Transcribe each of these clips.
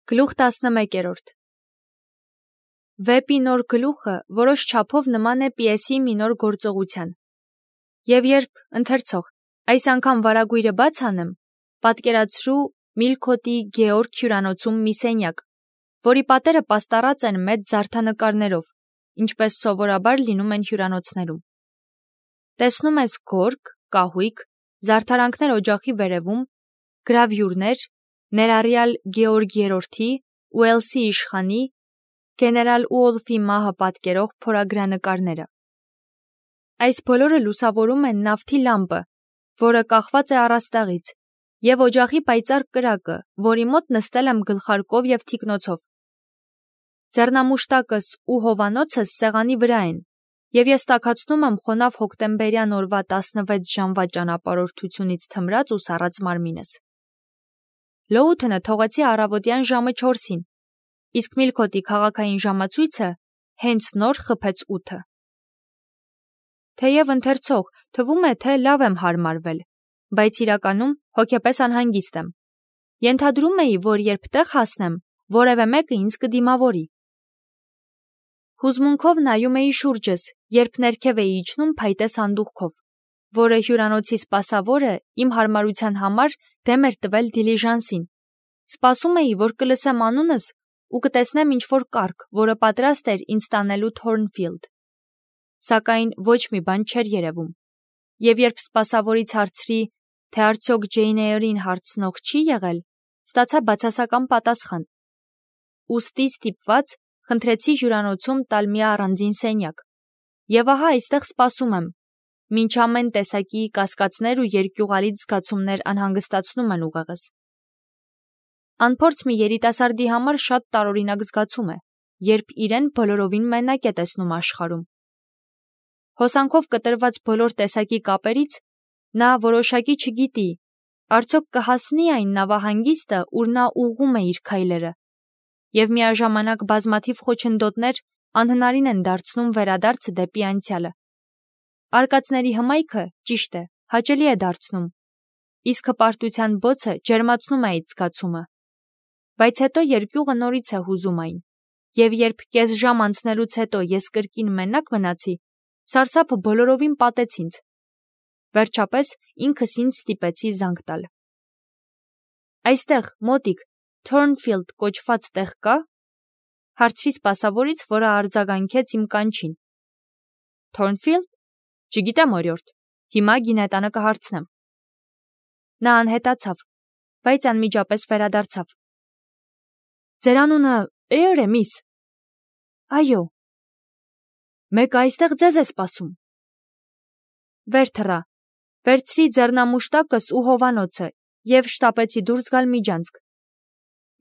Գլուխ 11. Վեպի նոր գլուխը որոշ չափով նման է պիեսի մի նոր գործողության։ Եվ երբ ընթերցող այս անգամ վարագույրը բաց անեմ, պատկերացրու Միլքոտի Գեորգ հյուրանոցում մի սենյակ, որի պատերը պաստառած են մեծ զարդանկարներով, ինչպես սովորաբար լինում են հյուրանոցներում։ Տեսնում ես գորգ, կահույք, զարդարանքներ օջախի վերևում, գրավյուրներ, ներառյալ Գեորգ III, Ուելսի իշխանի, գեներալ Ուոլֆի մահը պատկերող փորագրանկարները։ Այս բոլորը լուսավորում են նավթի լամպը, որը կախված է առաստաղից, և օջախի պայծառ կրակը, որի մոտ նստել եմ գլխարկով և թիկնոցով։ Ձեռնամուշտակս ու հովանոցս սեղանի վրա են, և ես տաքացնում եմ խոնավ հոկտեմբերյան օրվա 16 ժամվա ճանապարհորդությունից թմրած ու սառած մարմինս։ Լոութոնը թողեցի առավոտյան ժամը 4-ին, իսկ Միլքոտի քաղաքային ժամացույցը հենց նոր խփեց 8-ը։ Թեև ընթերցող թվում է, թե լավ եմ հարմարվել, բայց իրականում հոգեպես անհանգիստ եմ։ Ենթադրում էի, որ երբ տեղ հասնեմ, որևէ մեկը ինձ կդիմավորի։ Հուզմունքով նայում էի շուրջս, երբ ներքև էի իջնում փայտե սանդուղքով, որը հյուրանոցի սպասավորը իմ հարմարության համար դեմ էր տվել դիլիժանսին։ Սպասում էի, որ կլսեմ անունս ու կտեսնեմ ինչ-որ կառք, որը պատրաստ էր ինձ տանելու Թորնֆիլդ։ Սակայն ոչ մի բան չէր երևում։ Եվ երբ սպասավորից հարցրի, թե արդյոք Ջեյն Էյրին հարցնող չի եղել, ստացա բացասական պատասխան։ Ուստի ստիպված խնդրեցի հյուրանոցում տալ մի առանձին սենյակ։ Եվ ահա այստեղ սպասում եմ, մինչ ամեն տեսակի կասկածներ ու երկյուղալից զգացումներ անհանգստացնում են ուղեղս։ Անփորձ մի երիտասարդի համար շատ տարօրինակ զգացում է, երբ իրեն բոլորովին մենակ է տեսնում աշխարհում։ Հոսանքով կտրված բոլոր տեսակի կապերից նա որոշակի չգիտի, արդյոք կհասնի այն նավահանգիստը, ուր նա ուղղում է իր քայլերը, և միաժամանակ բազմաթիվ խոչընդոտներ անհնարին են դարձնում վերադարձը դեպի անցյալը։ Արկածների հմայքը, ճիշտ է, հաճելի է դարձնում, իսկ հպարտության բոցը ջերմացնում է այդ զգացումը։ Բայց հետո երկյուղը նորից է հուզում այն, և երբ կես ժամ անցնելուց հետո ես կրկին մենակ մնացի, սարսափը բոլորովին պատեց ինձ։ Վերջապես ինքս ինձ ստիպեցի զանգ տալ։ Այստեղ, մոտիկ, Թորնֆիլդ կոչված տեղ կա՞, հարցրի սպասավորից, որը արձագանքեց իմ կանչին։ Թորնֆիլդ։ Չգիտեմ, օրիորդ, հիմա գինետանը կհարցնեմ։ Նա անհետացավ, բայց անմիջապես վերադարձավ։ Ձեր անունը Էյր է, միս։ Այո։ Մեկը այստեղ ձեզ է սպասում։ Վեր թռա, վերցրի ձեռնամուշտակս ու հովանոցը և շտապեցի դուրս գալ միջանցք։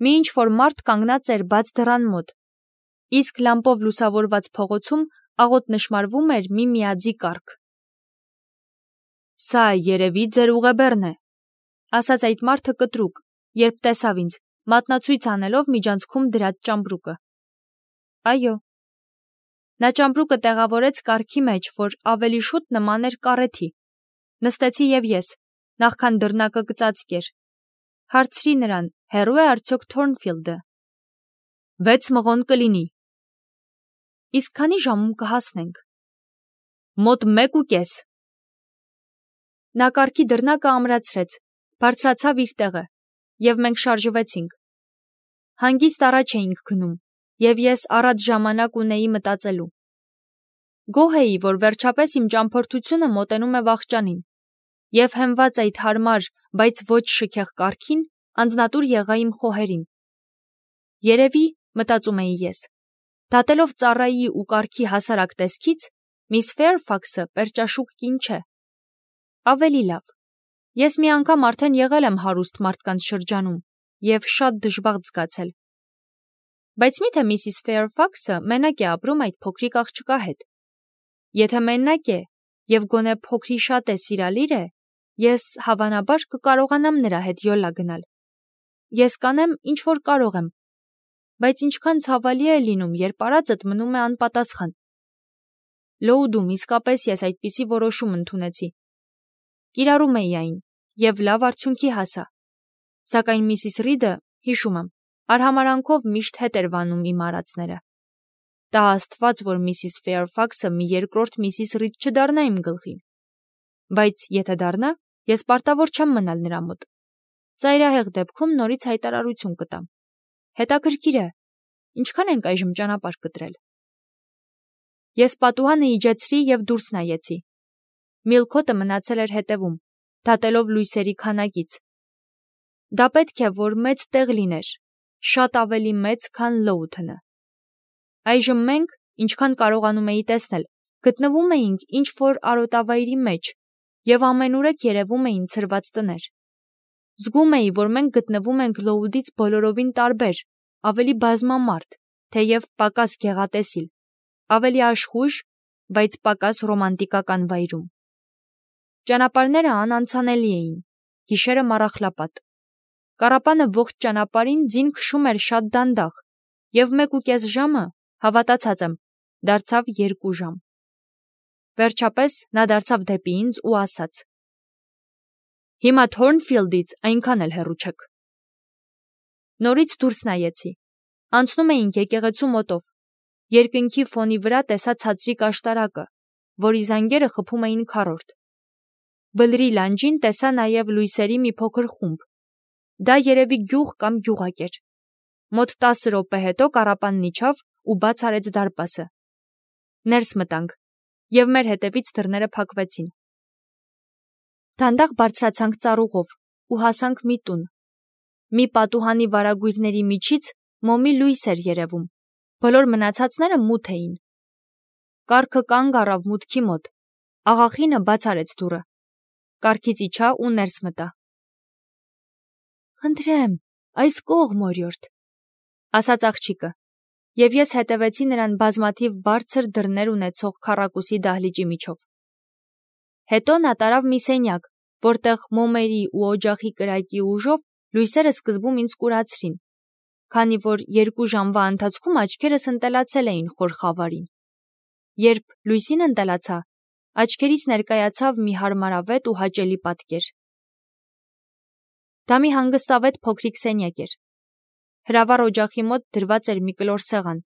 Մի ինչ-որ մարդ կանգնած էր բաց դռան մոտ, իսկ լամպով լուսավորված փողոցում աղոտ նշմարվում էր մի միաձի կառք։ Սա երևի ձեր ուղեբեռն է, ասաց այդ մարդը կտրուկ, երբ տեսավ ինձ, մատնացույց անելով միջանցքում դրած ճամպրուկը։ Այո։ Նա ճամպրուկը տեղավորեց կառքի մեջ, որ ավելի շուտ նման էր կառեթի։ Նստեցի և ես, նախքան դռնակը կծածկեր։ Հարցրի նրան, հեռու է արդյոք Թորնֆիլդը։ 6 մղոն կլինի։ Իսկ քանի ժամում կհասնենք։ Մոտ 1:30։ Նա կառքի դռնակը ամրացրեց, բարձրացավ իր տեղը, և մենք շարժվեցինք։ Հանգիստ առաջ էինք գնում, և ես առատ ժամանակ ունեի մտածելու։ Գոհ էի, որ վերջապես իմ ճամփորդությունը մոտենում է վախճանին, և հենված այդ հարմար, բայց ոչ շքեղ կառքին, անձնատուր եղա իմ խոհերին։ Երևի, մտածում էի ես, դատելով ծառայի ու կառքի հասարակ տեսքից, միս Ֆեյրֆաքսը պերճաշուք կին չէ։ Ավելի լավ, ես մի անգամ արդեն եղել եմ հարուստ մարդկանց շրջանում և շատ դժբախտ զգացել։ Բայց միթե միսիս Ֆեյրֆաքսը մենակ է ապրում այդ փոքրիկ աղջկա հետ։ Եթե մենակ է և գոնե փոքրիշատ է սիրալիր է, ես հավանաբար կկարողանամ նրա հետ յոլա գնալ։ Ես կանեմ, ինչ որ կարող եմ, բայց ինչքան ցավալի է լինում, երբ արածդ մնում է անպատասխան։ Լոուդում իսկապես ես այդպիսի որոշում ընդունեցի։ Կիրառում էի այն, և լավ արդյունքի հասա։ Սակայն միսիս Ռիդը, հիշում եմ, Արհամարանքով միշտ հետ էր վանում իմ արածները։ Տա Աստված, որ Միսիս Ֆեյրֆաքսը մի երկրորդ Միսիս Ռիդ չդառնա իմ գլխին։ Բայց եթե դառնա, ես պարտավոր չեմ մնալ նրա մոտ։ Ծայրահեղ դեպքում նորից հայտարարություն կտամ։ Հետաքրքիր է, ինչքան ենք այժմ ճանապարհ կտրել։ Ես պատուհանը իջեցրի և դուրս նայեցի։ Միլքոթը մնացել էր հետևում, դատելով լույսերի քանակից։ Դա պետք է, որ մեծ տեղ լիներ, շատ ավելի մեծ, քան Լոութոնը։ Այժմ մենք, ինչքան կարողանում էի տեսնել, գտնվում էինք ինչ-որ արոտավայրի մեջ, և ամենուրեք երևում էին ցրված տներ։ Զգում էի, որ մենք գտնվում ենք Լոութից բոլորովին տարբեր, ավելի բազմամարդ, թեև պակաս գեղատեսիլ, ավելի աշխույժ, բայց պակաս ռոմանտիկական վայրում։ Ճանապարհները անանցանելի էին, գիշերը մառախլապատ։ Կառապանը ողջ ճանապարհին ձին քշում էր շատ դանդաղ, և 1.5 ժամը, հավատացած եմ, դարձավ 2 ժամ։ Վերջապես նա դարձավ դեպի ինձ ու ասաց. «Հիմա Թորնֆիլդից այնքան էլ հեռու չեք»։ Նորից դուրս նայեցի։ Անցնում էինք եկեղեցու մոտով։ Երկնքի ֆոնի վրա տեսա ցածրիկ աշտարակը, որի զանգերը խփում էին քառորդ։ Բլրի լանջին տեսա նաև լույսերի մի փոքր խումբ։ Դա երևի գյուղ կամ գյուղակ էր։ Մոտ 10 րոպե հետո կառապանն իջավ ու բաց արեց դարպասը։ Ներս մտանք, և մեր հետևից դռները փակվեցին։ Դանդաղ բարձրացանք ծառուղով ու հասանք մի տուն։ Մի պատուհանի վարագույրների միջից մոմի լույս էր երևում, բոլոր մնացածները մութ էին։ Կառքը կանգ առավ մուտքի մոտ, աղախինը բաց արեց դուռը, կառքից իջա ու ներս մտա։ «Խնդրեմ, այս կողմ, օրիորդ», ասաց աղջիկը, և ես հետևեցի նրան բազմաթիվ բարձր դռներ ունեցող քառակուսի դահլիճի միջով։ Հետո նա տարավ մի սենյակ, որտեղ մոմերի ու օջախի կրակի ուժով լույսերը սկզբում ինձ կուրացրին, քանի որ 2 ժամվա ընթացքում աչքերս ընտելացել էին խոր խավարին։ Երբ լույսին ընտելացա, աչքերիս ներկայացավ մի հարմարավետ ու հաճելի պատկեր։ Դա մի հանգստավետ փոքրիկ սենյակ էր։ Հրավառ օջախի մոտ դրված էր մի կլոր սեղան։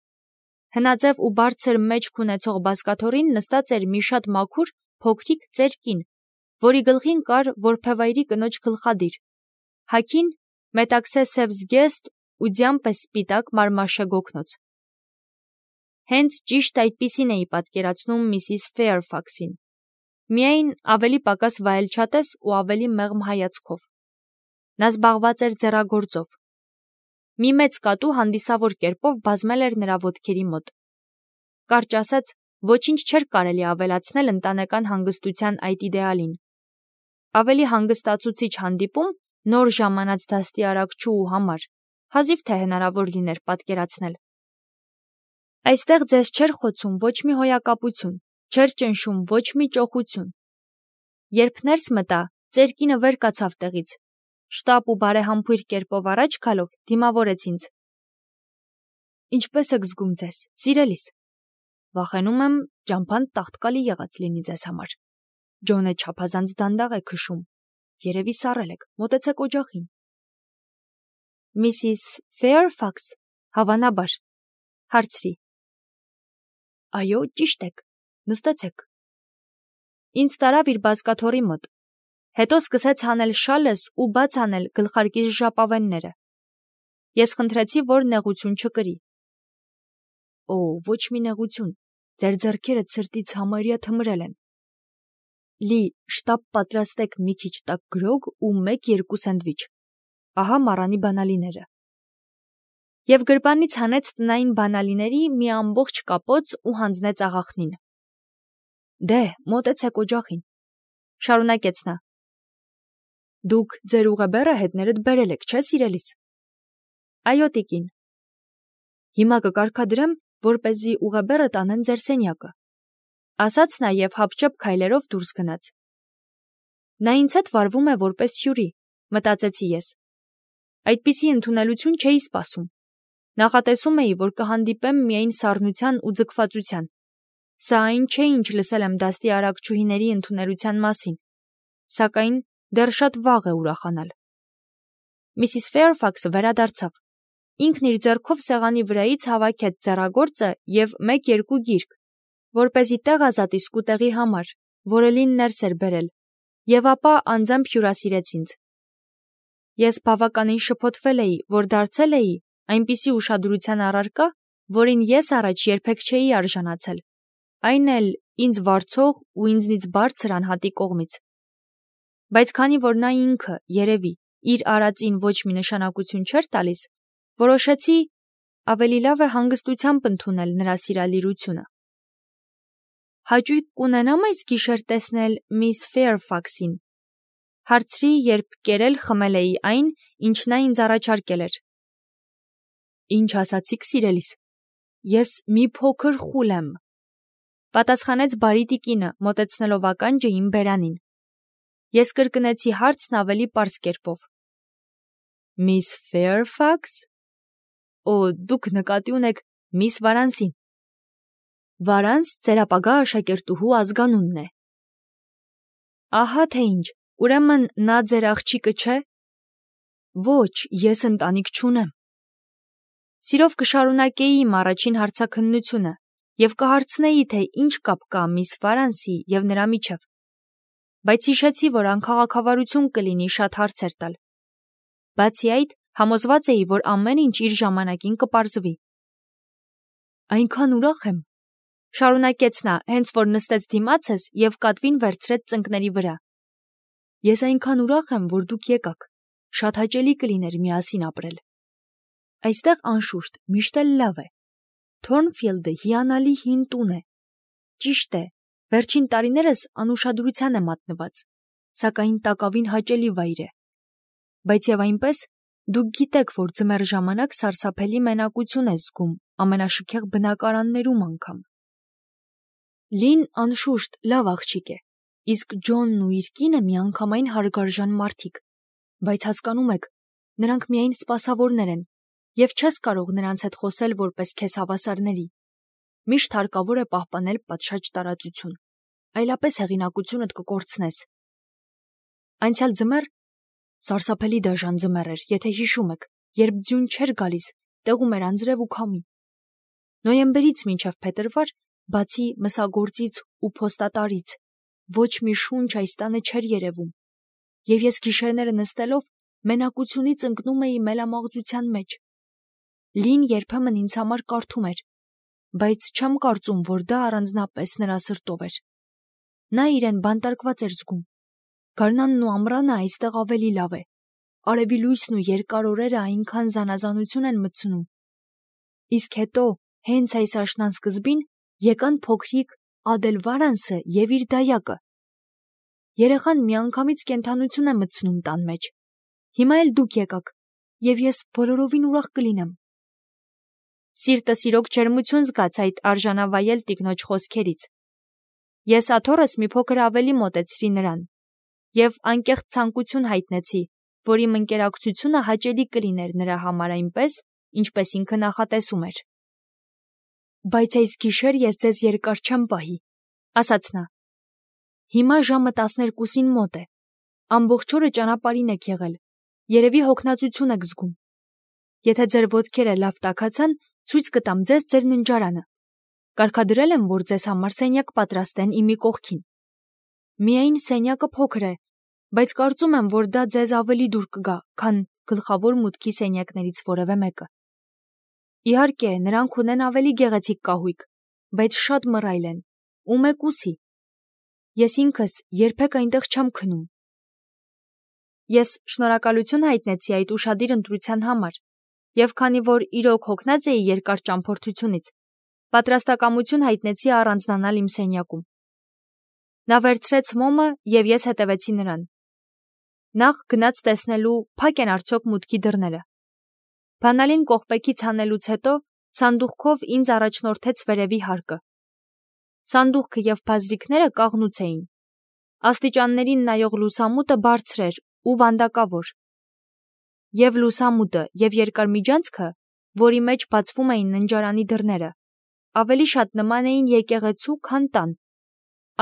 Հնաձև ու բարձր մեջք ունեցող բազկաթոռին նստած էր մի շատ մաքուր, փոքրիկ ծեր կին, որի գլխին կար որբևայրի կնոջ գլխադիր, հագին մետաքսե սև զգեստ ու ձյան պես սպիտակ մարմաշե գոգնոց։ Հենց ճիշտ այդպիսին էի պատկերացնում Միսիս Ֆեյրֆաքսին, միայն ավելի պակաս վայելչատես ու ավելի մեղմ հայացքով։ Նա զբաղված էր ձեռագործով։ Մի մեծ կատու հանդիսավոր կերպով բազմել էր նրա ոտքերի մոտ։ Կարճ ասած, ոչինչ չէր կարելի ավելացնել ընտանեկան հանգստության այդ իդեալին։ Ավելի հանգստացուցիչ հանդիպում նոր ժամանած դաստիարակչուհու համար հազիվ թե հնարավոր լիներ պատկերացնել։ Այստեղ ձեզ չէր խոցում ոչ մի հոյակապություն, չէր ճնշում ոչ մի ճոխություն։ Երբ ներս մտա, ծեր կինը վեր կացավ տեղից, շտապ ու բարեհամբույր կերպով առաջ գալով դիմավորեց ինձ։ «Ինչպե՞ս եք զգում ձեզ, սիրելիս»։ «Վախենում եմ, ճամփան տաղտկալի եղած լինի ձեզ համար։ Ջոնը չափազանց դանդաղ է քշում։ Երևի սառել եք, մոտեցեք օջախին»։ «Միսիս Ֆեյրֆաքս, հավանաբար», հարցրի։ «Այո, ճիշտ եք, նստեցեք»։ Ինձ տարավ իր բազկաթոռի մոտ։ Հետո սկսեց հանել շալս ու բաց անել գլխարկիս ժապավենները։ Ես խնդրեցի, որ նեղություն չկրի։ «Օ, ոչ մի նեղություն, ձեր ձեռքերը ցրտից համարյա թմրել են»։ «Լի, շտապ պատրաստեք մի քիչ տաք գրոգ ու 1-2 սենդվիչ։ Ահա մառանի բանալիները»։ Եվ գրպանից հանեց տնային բանալիների մի ամբողջ կապոց ու հանձնեց աղախնին։ «Դե, մոտեցեք օջախին», շարունակեց նա։ «Դուք ձեր ուղեբեռը հետներդ բերել եք, չէ՞ սիրելիս»։ «Այո, տիկին»։ «Հիմա կկարգադրեմ, որպեսզի ուղեբեռը տանեն ձեր սենյակը», ասաց նա և հապճեպ քայլերով դուրս գնաց։ Նա ինձ հետ վարվում է որպես հյուրի, մտածեցի ես։ Այդպիսի ընդունելություն չէի սպասում։ Նախատեսում էի, որ կհանդիպեմ միայն սառնության ու ձգվածության։ Սա այն չէ, ինչ լսել եմ դաստիարակչուհիների ընդունելության մասին, սակայն դեռ շատ վաղ է ուրախանալ։ Միսիս Ֆեյրֆաքսը վերադարձավ։ ինքն իր ձեռքով սեղանի վրայից հավաքեց ձեռագործը և 1-2 գիրք, որպեսզի տեղ ազատի սկուտեղի համար, որը Լին ներս էր բերել, և ապա անձամբ հյուրասիրեց ինձ։ Ես բավականին շփոթվել էի, որ դարձել էի այնպիսի ուշադրության առարկա, որին ես առաջ երբեք չէի արժանացել, այն էլ ինձ վարձող ու ինձնից բարձր անհատի կողմից։ Բայց քանի որ նա ինքը, երևի, իր արածին ոչ մի նշանակություն չէր տալիս, որոշեցի ավելի լավ է հանգստությամբ ընդունել նրա սիրալիրությունը։ Հաճույք կունենամ այս գիշեր տեսնել միս Ֆեյրֆաքսին, հարցրի, երբ կերել խմել էի այն, ինչ նա ինձ առաջարկել էր։ Ինչ ասացիք, սիրելիս, ես մի փոքր խուլ եմ, պատասխանեց բարի տիկինը, մոտեցնելով ականջը իմ բերանին։ Ես կրկնեցի հարցն ավելի պարզ կերպով։ Միս Ֆեյրֆաքս։ Օ, դուք նկատի ունեք միս Վարանսին։ Վարանս ձեր ապագա աշակերտուհու ազգանունն է։ Ահա թե ինչ, ուրեմն նա ձեր աղջիկը չէ։ Ոչ, ես ընտանիք չունեմ։ Սիրով կշարունակեի իմ առաջին հարցաքննությունը և կհարցնեի, թե ինչ կապ կա միս Վարանսի և նրա միջև։ Բայց հիշեցի, որ անքաղաքավարություն կլինի շատ հարցեր տալ։ Բացի այդ, համոզված էի, որ ամեն ինչ իր ժամանակին կպարզվի։ Այնքան ուրախ եմ, շարունակեց նա, հենց որ նստեց դիմացս և կատվին վերցրեց ծնկների վրա։ Ես այնքան ուրախ եմ, որ դուք եկաք։ Շատ հաճելի կլիներ միասին ապրել։ Այստեղ անշուշտ միշտ էլ լավ է։ Թորնֆիլդը հիանալի հին տուն է։ Ճիշտ է, վերջին տարիներս անուշադրության է մատնված, սակայն տակավին հաճելի վայր է։ Բայց և այնպես, դուք գիտեք, որ ձմեռ ժամանակ սարսափելի մենակություն է զգում ամենաշքեղ բնակարաններում անգամ։ Լին անշուշտ լավ աղջիկ է, իսկ Ջոնն ու իր կինը միանգամայն հարգարժան մարդիկ, բայց հասկանում եք, նրանք միայն սպասավորներ են, և չես կարող նրանց հետ խոսել որպես քեզ հավասարների։ Միշտ հարկավոր է պահպանել պատշաճ տարածություն, այլապես հեղինակությունդ կկորցնես։ Անցյալ ձմեռ սարսափելի դաժան ձմեռ էր, եթե հիշում եք, երբ ձյուն չէր գալիս, տեղում էր անձրև ու քամի։ Նոյեմբերից մինչև փետրվար, բացի մսագործից ու փոստատարից, ոչ մի շունչ այս տանը չէր երևում, և ես գիշերները նստելով մենակությունից ընկնում էի մելամաղձության մեջ։ Լին երբեմն ինձ համար կարդում էր, բայց չեմ կարծում, որ դա առանձնապես նրա սրտով էր։ Նա իրեն բանտարկված էր զգում։ Գարնանն ու ամռանը այստեղ ավելի լավ է։ Արևի լույսն ու երկար օրերը այնքան զանազանություն են մտցնում։ Իսկ հետո, հենց այս աշնան սկզբին, եկան փոքրիկ Ադել Վարանսը և իր դայակը։ Երեխան միանգամից կենդանություն է մտցնում տան մեջ։ Հիմա էլ դուք եկաք, և ես բոլորովին ուրախ կլինեմ։ Սիրտս իրոք ջերմություն զգաց այդ արժանավայել տիկնոջ խոսքերից։ Ես աթոռս մի փոքր ավելի մոտեցրի նրան և անկեղծ ցանկություն հայտնեցի, որ իմ ընկերակցությունը հաճելի կլիներ նրա համար այնպես, ինչպես ինքը նախատեսում էր։ Բայց այս գիշեր ես ձեզ երկար չեմ պահի, ասաց նա։ Հիմա ժամը 12-ին մոտ է։ Ամբողջ օրը ճանապարհին եք եղել, երևի հոգնածություն եք զգում։ Եթե ձեր ոտքերը լավ տաքացան, ցույց կտամ ձեզ ձեր ննջարանը։ Կարգադրել եմ, որ ձեզ համար սենյակ պատրաստեն իմի կողքին։ Միայն սենյակը փոքր է, բայց կարծում եմ, որ դա ձեզ ավելի դուր կգա, քան գլխավոր մուտքի սենյակներից որևէ մեկը։ Իհարկե, նրանք ունեն ավելի գեղեցիկ կահույք, բայց շատ մռայլ են, ու մեկուսի։ Ես ինքս երբեք այնտեղ չեմ քնում։ Ես շնորհակալություն հայտնեցի այդ ուշադիր ընտրության համար, և քանի որ իրոք հոգնած էի երկար ճամփորդությունից, պատրաստակամություն հայտնեցի առանձնանալ իմ սենյակում։ Նա վերցրեց մոմը, և ես հետևեցի նրան։ Նախ գնաց տեսնելու փակ են արդյոք մուտքի դռները։ Բանալին կողպեքից հանելուց հետո սանդուղքով ինձ առաջնորդեց վերևի հարկը։ Սանդուղքը և բազրիքները կաղնուց էին։ Աստիճաններին նայող լուսամուտը բարձր էր ու վանդակավոր։ Եվ լուսամուտը, և երկար միջանցքը, որի մեջ բացվում էին ննջարանի դռները, ավելի շատ նման էին եկեղեցու, քան տան։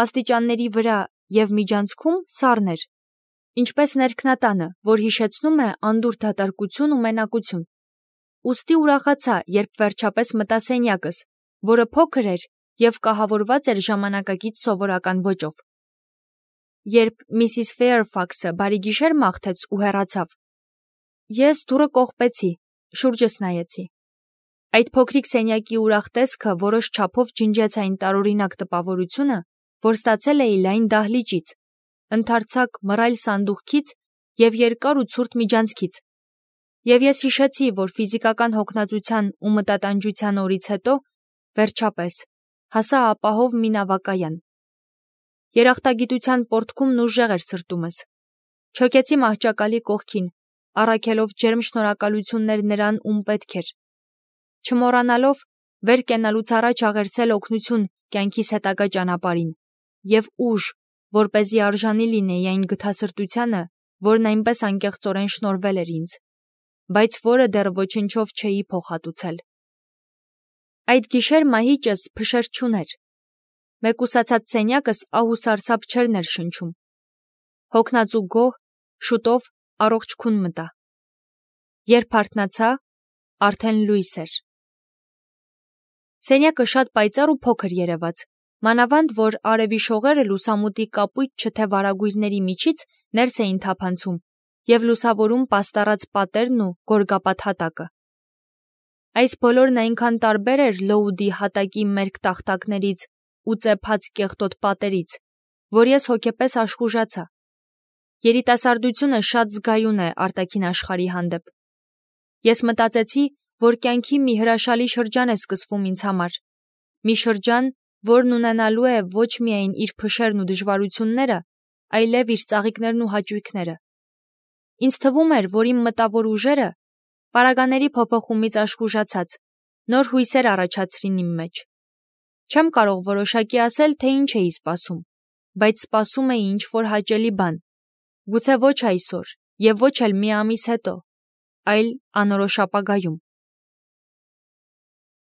Աստիճանների վրա և միջանցքում սառն էր, ինչպես ներքնատանը, որ հիշեցնում է անդուր դատարկություն ու մենակություն։ ուստի ուրախացա, երբ վերջապես մտա սենյակս, որը փոքր էր և կահավորված էր ժամանակակից սովորական ոճով։ Երբ Միսիս Ֆեյրֆաքսը բարի գիշեր մաղթեց ու հեռացավ, ես դուռը կողպեցի, շուրջս նայեցի։ Այդ փոքրիկ սենյակի ուրախ տեսքը որոշ չափով ջնջեց այն տարօրինակ տպավորությունը, որ ստացել էի լայն դահլիճից, ընդարձակ մռայլ սանդուղքից և երկար ու ցուրտ միջանցքից։ Եվ ես հիշեցի, որ ֆիզիկական հոգնածության ու մտատանջության օրից հետո, վերջապես, հասա ապահով մի նավակայան։ Երախտագիտության պոռթկումն ուժեղ էր սրտումս։ Չոքեցի մահճակալի կողքին, առաքելով ջերմ շնորհակալություններ նրան, ում պետք էր։ Չմոռանալով վեր կենալուց առաջ աղերսել օգնություն կյանքիս հետագա ճանապարհին և ուժ, որպեսզի արժանի լինեի այն գթասրտությանը, որն այնպես անկեղծորեն շնորհվել էր ինձ, բայց որը դեռ ոչնչով չէի փոխհատուցել։ Այդ գիշեր մահիճս փշեր չուներ։ Մեկուսացած սենյակս ահ ու սարսափ չէր ներշնչում։ Հոգնած ու գոհ, շուտով առողջ քուն մտա։ Երբ արթնացա, արդեն լույս էր։ Սենյակը շատ պայծառ ու փոքր երևաց, մանավանդ որ արևի շողերը լուսամուտի կապույտ չթե վարագույրների միջից ներս էին թափանցում և լուսավորում պաստառած պատերն ու գորգապատ հատակը։ Այս բոլորն այնքան տարբեր էր Լոուդի հատակի մերկ տախտակներից ու ծեփած կեղտոտ պատերից, որ ես հոգեպես աշխուժացա։ Երիտասարդությունը շատ զգայուն է արտաքին աշխարհի հանդեպ։ Ես մտածեցի, որ կյանքի մի հրաշալի շրջան է սկսվում ինձ համար, մի շրջան, որն ունենալու է ոչ միայն իր փշերն ու դժվարությունները, այլև իր ծաղիկներն ու հաճույքները։ Ինձ թվում էր, որ իմ մտավոր ուժերը, պարագաների փոփոխումից աշխուժացած, նոր հույսեր առաջացրին իմ մեջ։ Չեմ կարող որոշակի ասել, թե ինչ էի սպասում, բայց սպասում էի ինչ-որ հաճելի բան, գուցե ոչ այսօր և ոչ էլ մի ամիս հետո, այլ անորոշ ապագայում։